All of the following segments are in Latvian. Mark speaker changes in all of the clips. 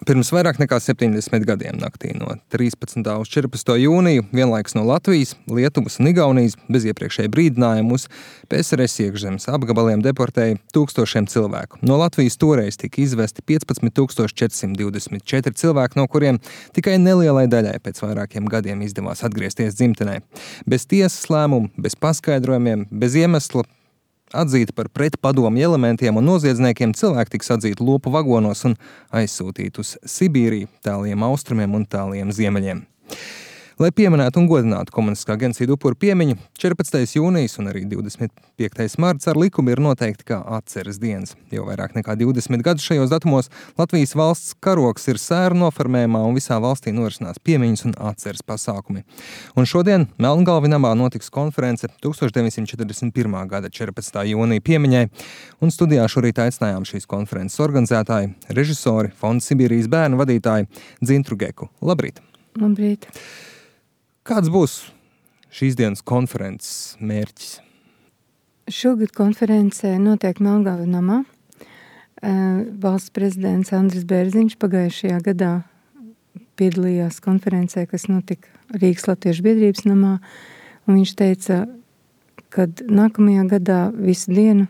Speaker 1: Pirms vairāk nekā 70 gadiem naktī no 13. uz 14. jūniju vienlaikus no Latvijas, Lietuvas un Igaunijas bez iepriekšēja brīdinājuma uz PSRS iekšzemes apgabaliem deportēja tūkstošiem cilvēku. No Latvijas toreiz tika izvesti 15,424 cilvēki, no kuriem tikai nelielai daļai pēc vairākiem gadiem izdevās atgriezties dzimtenē. Bez tiesas lēmumu, bez paskaidrojumiem, bez iemesla atzīti par pretpadomju elementiem un noziedzniekiem, cilvēki tiks atzīti lopu vagonos un aizsūtīti uz Sibīriju, tāliem austrumiem un tāliem ziemeļiem. Lai pieminētu un godinātu komunistiskā genocīda upuru piemiņu, 14. jūnijas un arī 25. marts ar likumu ir noteikti kā atceres dienas. Jau vairāk nekā 20 gadus šajos datumos Latvijas valsts karogs ir sēru noformējumā un visā valstī norisinās piemiņas un atceres pasākumi. Un šodien Melngalvi namā notiks konference 1941. gada 14. jūnija piemiņai, un studijā šorīt aicinājām šīs konferences organizētāji, režisori, Fonda Sibīrijas bērnu vadītāji Dzintru Geku. Labrīt!
Speaker 2: Labrīt!
Speaker 1: Kāds būs šīs dienas konferences mērķis?
Speaker 2: Šogad konferencē notiek Melngalvi namā. Valsts prezidents Andris Bērziņš pagājušajā gadā piedalījās konferencē, kas notika Rīgas Latviešu biedrības namā. Un viņš teica, ka nākamajā gadā visu dienu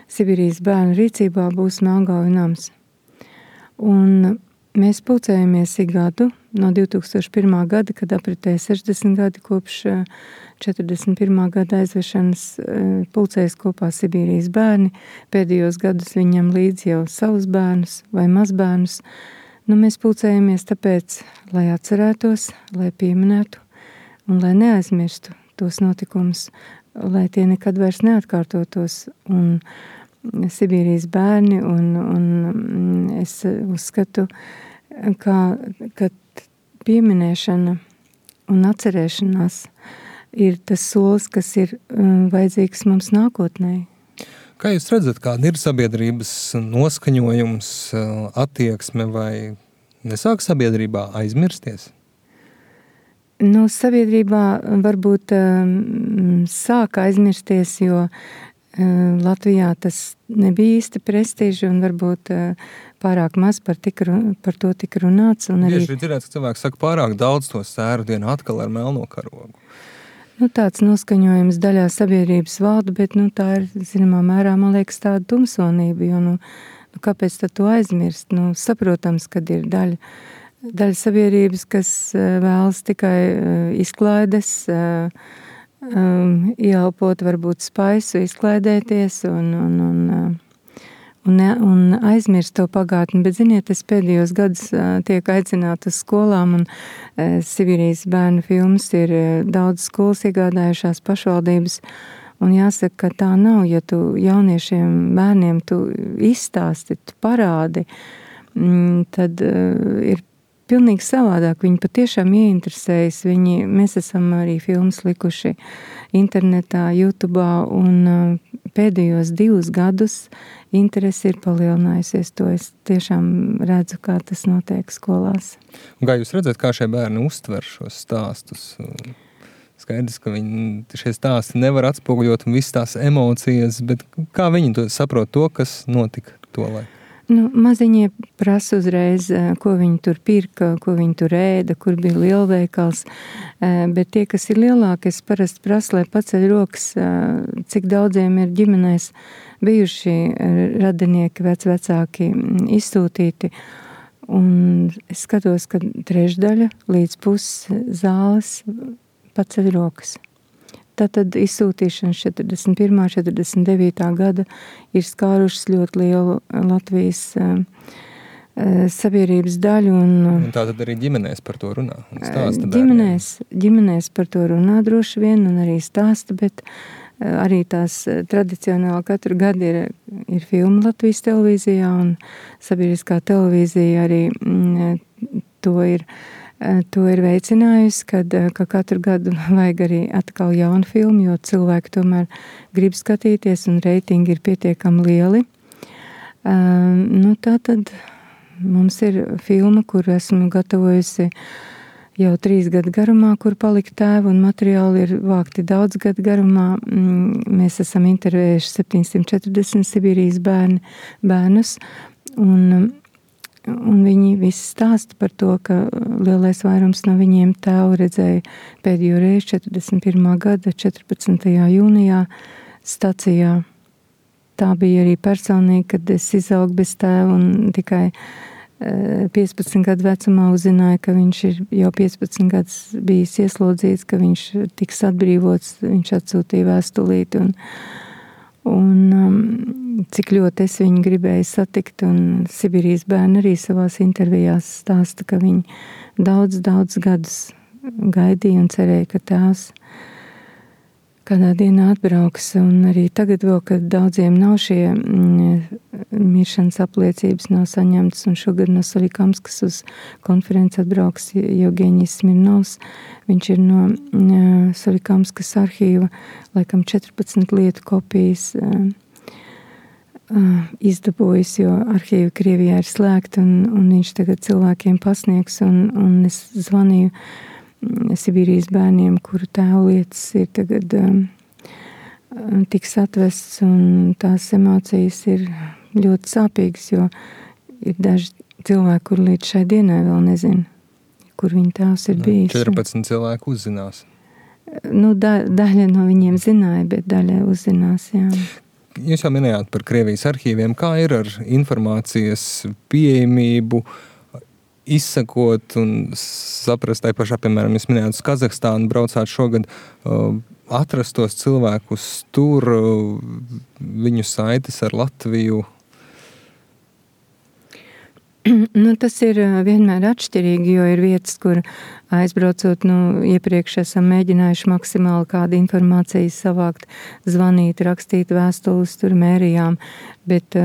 Speaker 2: Sibīrijas bērnu rīcībā būs Melngalvi nams. Un mēs pulcējamies ik gadu no 2001. gada, kad apritēja 60 gadi kopš 41. gada aizvešanas, pulcējas kopā Sibīrijas bērni. Pēdējos gadus viņam līdz jau savus bērnus vai mazbērnus. Mēs pulcējamies tāpēc, lai atcerētos, lai pieminētu un lai neaizmirstu tos notikumus, lai tie nekad vairs neatkārtotos. Un Sibīrijas bērni, un es uzskatu, ka pieminēšana un atcerēšanās ir tas solis, kas ir vajadzīgs mums nākotnē.
Speaker 1: Kā jūs redzat, kāda ir sabiedrības noskaņojums, attieksme, vai nesāk sabiedrībā aizmirsties?
Speaker 2: Sabiedrībā varbūt sāk aizmirsties, jo Latvijā tas nebija īsti prestiži un varbūt pārāk maz par to tika runāts.
Speaker 1: Bieži dzirdēts, ka cilvēki saka pārāk daudz to sēru dienu atkal ar melno karogu.
Speaker 2: Tāds noskaņojums daļā sabiedrības valda, bet tā ir, zināmā mērā, man liekas, tāda tumsonība, jo kāpēc tad to aizmirst? Saprotams, kad ir daļa sabiedrības, kas vēlas tikai izklaides, ieelpot varbūt spaisu, izklaidēties un aizmirst to pagātni. Bet, ziniet, es pēdējos gadus tiek aicināta uz skolām, un Sibīrijas bērnu filmas ir daudz skolas iegādājušās pašvaldības. Un jāsaka, ka tā nav, ja tu jauniešiem bērniem tu izstāsti, tu parādi, tad ir pilnīgi savādāk. Viņi patiešām ieinteresējas. Mēs esam arī filmas likuši internetā, YouTube'ā, un pēdējos 2 gadus interesi ir palielinājusies. To es tiešām redzu, kā tas notiek skolās.
Speaker 1: Un kā jūs redzat, kā šie bērni uztver šos stāstus? Skaidrs, ka šie stāsti nevar atspoguļot un visas tās emocijas, bet kā viņi saprot to, kas notika tolaik?
Speaker 2: Maziņie prasa uzreiz, ko viņi tur pirka, ko viņi tur ēda, kur bija lielveikals, bet tie, kas ir lielāki, es parasti prasu, lai paceļ rokas, cik daudziem ir ģimenēs bijuši radinieki, vecāki izsūtīti, un es skatos, ka 3/3 līdz puses zāles paceļ rokas. Tātad izsūtīšanas 41. 49. gada ir skārušas ļoti lielu Latvijas sabiedrības daļu. Un
Speaker 1: tātad arī ģimenēs par to runā un stāsta
Speaker 2: ģimenēs par to runā droši vien un arī stāsta, bet arī tās tradicionāli katru gadu ir filma Latvijas televīzijā, un sabiedriskā televīzija arī to ir veicinājusi, ka katru gadu vajag arī atkal jaunu filmu, jo cilvēki tomēr grib skatīties un reitingi ir pietiekami lieli. Tātad mums ir filma, kur esmu gatavojusi jau 3 gadu garumā, kur palika tēvu, un materiāli ir vākti daudz gadu garumā. Mēs esam intervējuši 740 Sibīrijas bērnus, un Un viņi visi stāsta par to, ka lielais vairums no viņiem tēvu redzēja pēdējo reizi 41. gada 14. jūnijā stacijā. Tā bija arī personīgi, kad es izaugu bez tēva un tikai 15 gadu vecumā uzzināju, ka viņš ir jau 15 gadus bijis ieslodzīts, ka viņš tiks atbrīvots, viņš atsūtīja vēstulīti un cik ļoti es viņu gribēju satikt, un Sibīrijas bērni arī savās intervijās stāsta, ka viņi daudz gadus gaidīja un cerēja, ka tās kādā dienā atbrauks, un arī tagad vēl, kad daudziem nav šie miršanas apliecības nav saņemtas, un šogad no Solikamskas uz konferenci atbrauks Jevgeņijs Smirnovs. Viņš ir no Solikamskas arhīva, laikam 14 lietu kopijas izdabojis, jo arhīva Krievijā ir slēgta, un viņš tagad cilvēkiem pasniegs, un es zvanīju Sibīrijas bērniem, kuru tēvu lietas ir tagad tiks atvests, un tās emocijas ir ļoti sāpīgas, jo ir daži cilvēki, kur līdz šai dienai vēl nezina, kur viņa tēvs ir bijis.
Speaker 1: 14 cilvēku uzzinās.
Speaker 2: Daļa no viņiem zināja, bet daļa uzzinās, jā.
Speaker 1: Jūs jau minējāt par Krievijas arhīviem. Kā ir ar informācijas pieejamību, izsakot un saprast tai pašā, piemēram, jūs minējāt uz Kazahstānu, braucāt šogad, atrast tos cilvēkus tur, viņu saites ar Latviju?
Speaker 2: Tas ir vienmēr atšķirīgi, jo ir vietas, kur aizbraucot, iepriekš esam mēģinājuši maksimāli kādu informāciju savākt, zvanīt, rakstīt vēstules, tur mērījām, bet,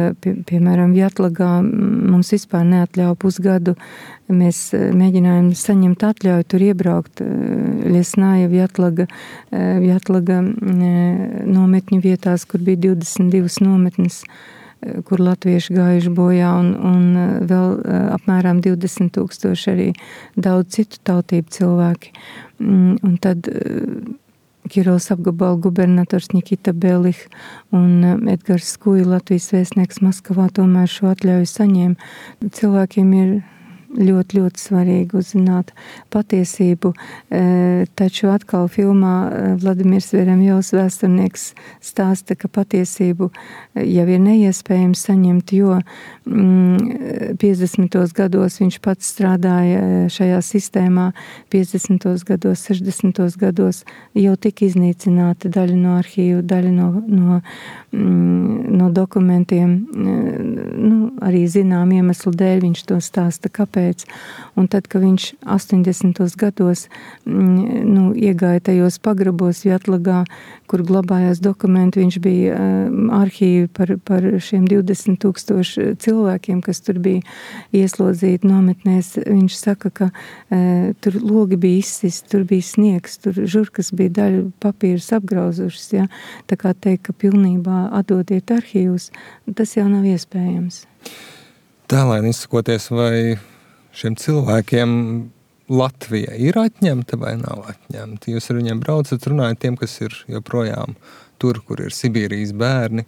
Speaker 2: piemēram, Vjatlagā mums vispār neatļauj pusgadu. Mēs mēģinājām saņemt atļauju tur iebraukt. Liesnāja Vjatlaga nometņu vietās, kur bija 22 nometnes, kur latvieši gājuši bojā, un vēl apmēram 20,000 arī daudz citu tautību cilvēki. Un tad Kirovas apgabala gubernators Nikita Belih un Edgars Skuja, Latvijas vēstnieks Maskavā, tomēr šo atļauju saņēma. Cilvēkiem ir ļoti svarīgi uzzināt patiesību, taču atkal filmā Vladimirs Veremjovs vēsturnieks stāsta, ka patiesību jau ir neiespējams saņemt, jo 50. gados viņš pats strādāja šajā sistēmā, 50. gados, 60. gados jau tika iznīcināta daļa no arhīvu, daļa no dokumentiem, arī zinām iemeslu dēļ viņš to stāsta, kāpēc. Un tad, kad viņš 80. gados iegāja tajos pagrabos Vjatlagā, kur glabājās dokumenti, viņš bija arhīvi par šiem 20,000 cilvēkiem, kas tur bija ieslodzīti nometnēs. Viņš saka, ka tur logi bija izsisti, tur bija sniegs, tur žurkas bija daļu papīrus apgrauzušas. Ja? Tā kā teikt, ka pilnībā atdodiet arhīvus, tas jau nav iespējams.
Speaker 1: Tālēn izsakoties, vai šiem cilvēkiem Latvija ir atņemta vai nav atņemta? Jūs ar viņiem braucat, runājat tiem, kas ir joprojām tur, kur ir Sibīrijas bērni.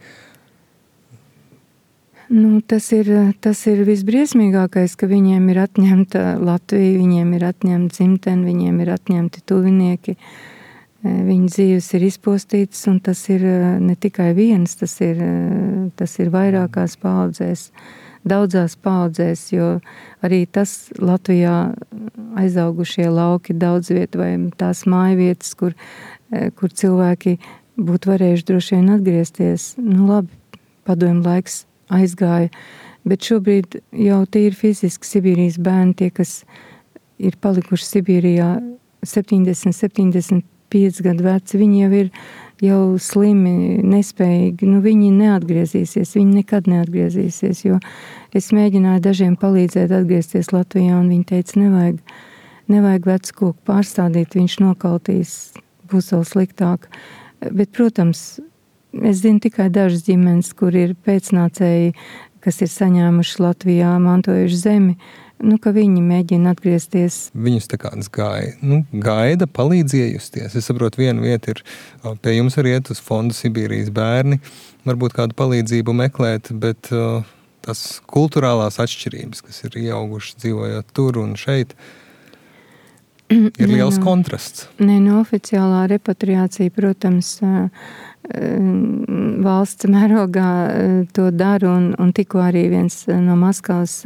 Speaker 2: Tas ir visbriesmīgākais, ka viņiem ir atņemta Latvija, viņiem ir atņemta dzimtene, viņiem ir atņemti tuvinieki. Viņu dzīves ir izpostītas, un tas ir ne tikai viens, tas ir vairākās paudzēs, daudzās paudzēs, jo arī tas Latvijā aizaugušie lauki daudz vietu vai tās mājvietas, kur cilvēki būtu varējuši droši vien atgriezties. Labi, padomju laiks aizgāja, bet šobrīd jau tīri fiziski Sibīrijas bērni, tie, kas ir palikuši Sibīrijā 70-75 gadu veci, viņi jau ir slimi, nespējīgi, viņi neatgriezīsies, viņi nekad neatgriezīsies, jo es mēģināju dažiem palīdzēt atgriezties Latvijā, un viņi teica, nevajag vecu koku pārstādīt, viņš nokaltīs, būs vēl sliktāk. Bet, protams, es zinu tikai dažas ģimenes, kur ir pēcnācēji, kas ir saņēmuši Latvijā, mantojuši zemi, ka viņi mēģina atgriezties.
Speaker 1: Viņus tā kāds gaida, palīdz iejusties. Es saprotu, viena vieta ir pie jums arī iet uz fondu Sibīrijas bērni, varbūt kādu palīdzību meklēt, bet tas kulturālās atšķirības, kas ir ieaugušas dzīvojot tur un šeit, ir liels kontrasts.
Speaker 2: Oficiālā repatriācija, protams, valsts mērogā to dara, un tikko arī viens no Maskavas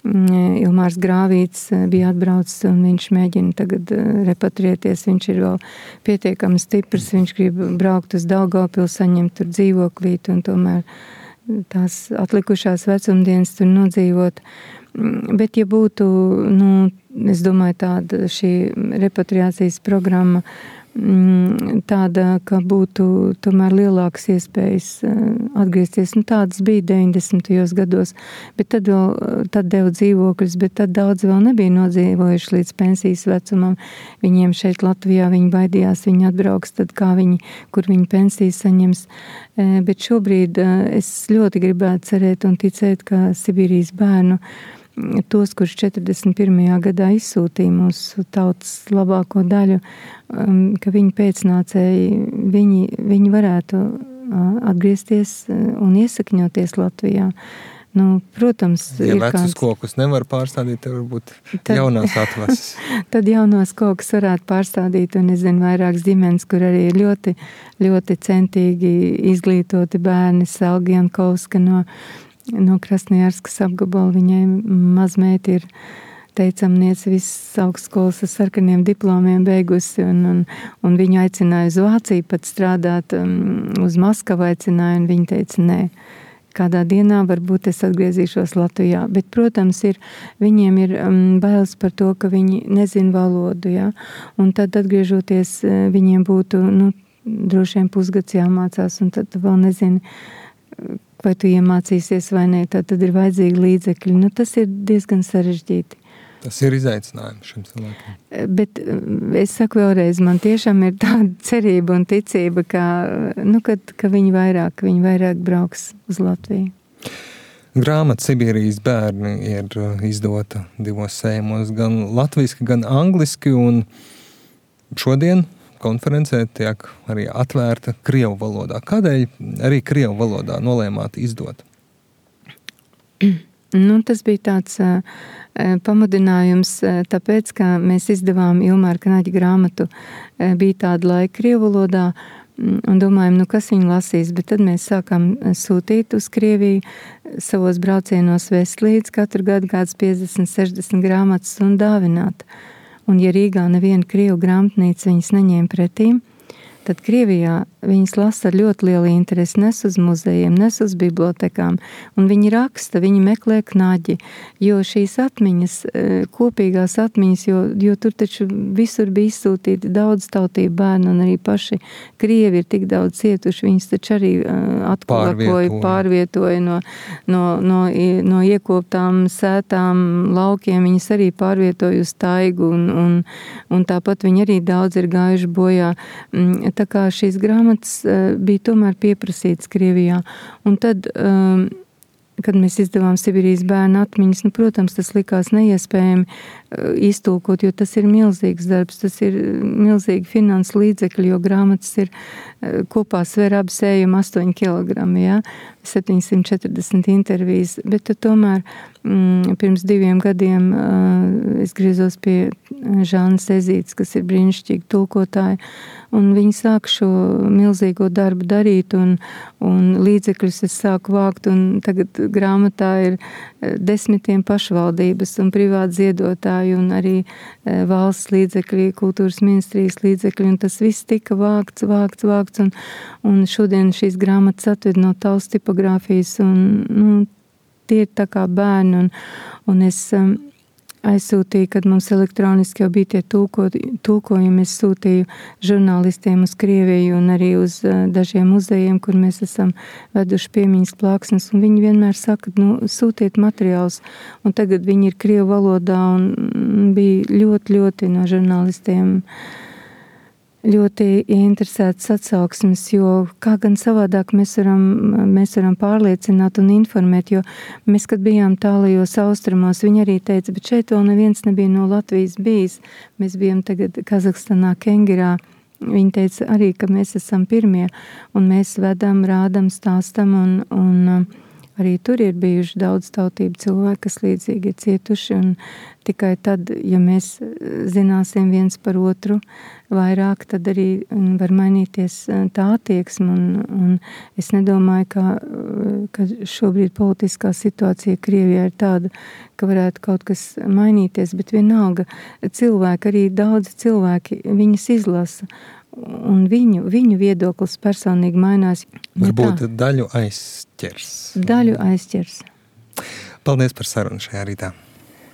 Speaker 2: Ilmārs Grāvīts bija atbraucis, un viņš mēģina tagad repatrieties. Viņš ir vēl pietiekami stiprs, viņš grib braukt uz Daugavpilu, saņemt tur dzīvoklīt, un tomēr tās atlikušās vecumdienas tur nodzīvot. Bet, ja būtu, es domāju, tāda šī repatriācijas programma tāda, ka būtu tomēr lielākas iespējas atgriezties. Tādas bija 90. gados, bet tad deva dzīvokļus, bet tad daudz vēl nebija nodzīvojuši līdz pensijas vecumam. Viņiem šeit Latvijā, viņi baidījās, viņi atbrauks, tad kur viņi pensijas saņems. Bet šobrīd es ļoti gribētu cerēt un ticēt, ka Sibīrijas bērnu tos, kurš 41. gadā izsūtīja mūsu tautas labāko daļu, ka viņi pēcnācēji, viņi varētu atgriezties un iesakņoties Latvijā. Protams,
Speaker 1: ja vecus kokus nevar pārstādīt, tad varbūt jaunās atvases.
Speaker 2: Tad jaunos kokus varētu pārstādīt, un es zinu vairākas ģimenes, kur arī ir ļoti, ļoti centīgi izglītoti bērni. Selga Jankovska no Krasnojarskas apgabala, viņai mazmeita ir teicamniece visas augstskolas ar sarkaniem diplomiem beigusi, un viņu aicināja uz Vāciju pat strādāt, uz Maskavu aicināja, un viņa teica, nē, kādā dienā varbūt es atgriezīšos Latvijā. Bet, protams, viņiem ir bailes par to, ka viņi nezin valodu, ja? Un tad atgriežoties, viņiem būtu, droši vien pusgads jāmācās, un tad vēl nezini, vai tu iemācīsies vai ne, tad ir vajadzīgi līdzekļi. Tas ir diezgan sarežģīti.
Speaker 1: Tas ir izaicinājums šim cilvēkiem.
Speaker 2: Bet es saku vēlreiz, man tiešām ir tāda cerība un ticība, ka viņi vairāk brauks uz Latviju.
Speaker 1: Grāmata Sibīrijas bērni ir izdota 2 sējumos, gan latviski, gan angliski, un šodien konferencē tiek arī atvērta krievu valodā. Kādēļ arī krievu valodā nolēmāt izdot?
Speaker 2: Tas bija tāds pamudinājums, tāpēc, ka mēs izdevām Ilmāra Knaģa grāmatu, bija tāda laika krievu valodā, un domājam, kas viņu lasīs, bet tad mēs sākām sūtīt uz Krieviju savos braucienos vest līdz katru gadu kāds 50-60 grāmatas un dāvināt. Un ja Rīgā neviena krievu grāmatnīca viņas neņēma pretīm, tad Krievijā viņas lasa ar ļoti lielu interesi, nes uz muzejiem, nes uz bibliotekām, un viņi raksta, viņi meklē Knaģi, jo šīs atmiņas, kopīgās atmiņas, jo tur taču visur bija izsūtīti daudz tautību bērnu, un arī paši krievi ir tik daudz cietuši, viņas taču arī pārvietoja no iekoptām sētām laukiem, viņas arī pārvietoja uz taigu, un tāpat viņi arī daudz ir gājuši bojā. Tā kā šīs grāmatas bija tomēr pieprasītas Krievijā. Un tad, kad mēs izdevām Sibīrijas bērnu atmiņas, protams, tas likās neiespējami iztulkot, jo tas ir milzīgs darbs, tas ir milzīgi finanses līdzekļi, jo grāmatas ir kopā sver ap sējumu 8 kilogrami, ja? 740 intervijas, bet tomēr pirms 2 gadiem es griezos pie Žānas Ezītes, kas ir brīnišķīga tulkotāja, un viņi sāk šo milzīgo darbu darīt, un līdzekļus es sāku vākt, un tagad grāmatā ir 10 pašvaldības un privāti ziedotāji, un arī valsts līdzekļi, kultūras ministrijas līdzekļi, un tas viss tika vākts, un šodien šīs grāmatas atved no tautas tipogrāfijas, un tie ir tā kā bērni, un es aizsūtīju, kad mums elektroniski jau bija tie tulkojumi, es sūtīju žurnālistiem uz Krieviju un arī uz dažiem muzejiem, kur mēs esam veduši piemiņas plāksnes, un viņi vienmēr saka, sūtiet materiālus, un tagad viņi ir krievu valodā, un bija ļoti, ļoti no žurnālistiem ļoti interesētas atsauksmes, jo kā gan savādāk mēs varam pārliecināt un informēt, jo mēs, kad bijām tālajos austrumos, viņi arī teica, bet šeit vēl neviens nebija no Latvijas bijis. Mēs bijām tagad Kazahstanā, Kengirā. Viņi teica arī, ka mēs esam pirmie, un mēs vedam, rādam, stāstam, un Arī tur ir bijuši daudz tautību cilvēki, kas līdzīgi ir cietuši, un tikai tad, ja mēs zināsim viens par otru vairāk, tad arī var mainīties tā attieksme, un es nedomāju, ka šobrīd politiskā situācija Krievijā ir tāda, ka varētu kaut kas mainīties, bet vienalga cilvēki, arī daudzi cilvēki, viņas izlasa, un viņu viedoklis personīgi mainās.
Speaker 1: Varbūt daļu aizķers.
Speaker 2: Daļu aizķers.
Speaker 1: Paldies par sarunu šajā rītā.